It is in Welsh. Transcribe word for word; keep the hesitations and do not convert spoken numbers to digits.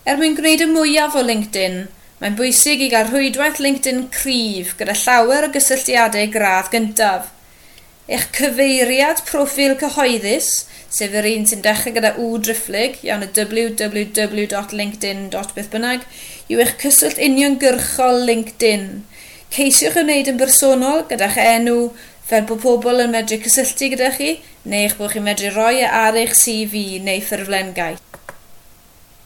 Er mwyn gwneud y mwyaf o LinkedIn, mae'n bwysig i gael rhwydwaith LinkedIn cryf gyda llawer o gysylltiadau gradd gyntaf. Eich cyfeiriad proffil cyhoeddus, sef yr un sy'n dechrau gyda W driphlyg, iawn, y w w w dot linkedin beth bynnag, yw eich cyswllt uniongyrchol LinkedIn. Ceisiwch wneud yn bersonol gyda'ch enw, fel bod pobl yn medru cysylltu gyda chi, neu eich bod chi'n medru rhoi e ar eich C V neu ffurflen gais.